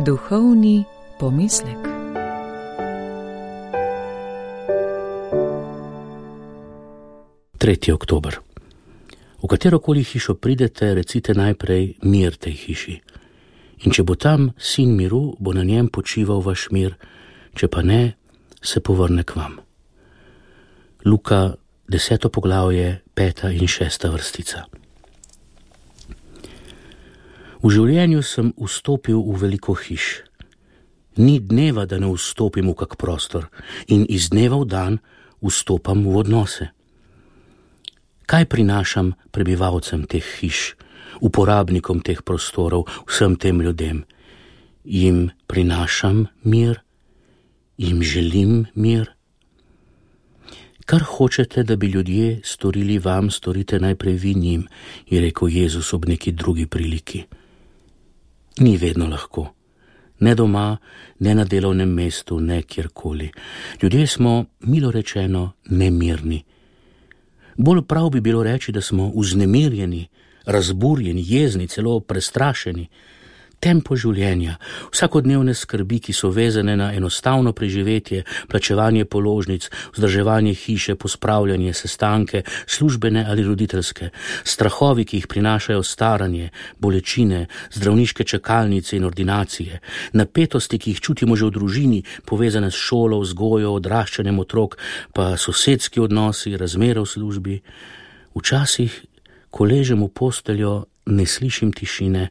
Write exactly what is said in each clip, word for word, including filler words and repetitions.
Duhovni pomislek. tretji oktober. V katerokoli hišo pridete, recite najprej mir tej hiši. In če bo tam sin miru, bo na njem počival vaš mir, če pa ne, se povrne k vam. Luka, deseto poglavje, peta in šesta vrstica. V življenju sem vstopil v veliko hiš. Ni dneva, da ne vstopim v kak prostor, in iz dneva v dan vstopam v odnose. Kaj prinašam prebivalcem teh hiš, uporabnikom teh prostorov, vsem tem ljudem? Jim prinašam mir? Jim želim mir? Kar hočete, da bi ljudje storili vam, storite najprej vi njim, je rekel Jezus ob neki drugi priliki. Ni vedno lahko. Ne doma, ne na delovnem mestu, ne kjerkoli. Ljudje smo, milo rečeno, nemirni. Bolj prav bi bilo reči, da smo vznemirjeni, razburjeni, jezni, celo prestrašeni. Tempo življenja, vsakodnevne skrbi, ki so vezane na enostavno preživetje, plačevanje položnic, vzdrževanje hiše, pospravljanje, sestanke, službene ali roditeljske, strahovi, ki jih prinašajo staranje, bolečine, zdravniške čakalnice in ordinacije, napetosti, ki jih čutimo že v družini, povezane s šolo, vzgojo, odraščanjem otrok, pa sosedski odnosi, razmere v službi. Včasih, ko ležem v posteljo, ne slišim tišine,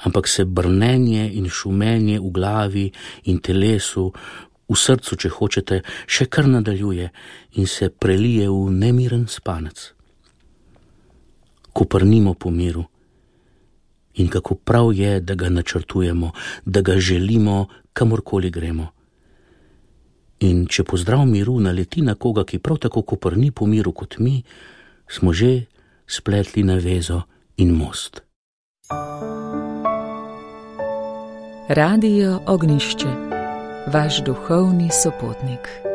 ampak se brnenje in šumenje v glavi in telesu, v srcu, če hočete, še kar nadaljuje in se prelije v nemiren spanec. Koprnimo po miru. In kako prav je, da ga načrtujemo, da ga želimo, kamorkoli gremo. In če pozdrav miru naleti na koga, ki prav tako koprni po miru kot mi, smo že spletli navezo in most. Radio Ognišče, vaš duhovni sopotnik.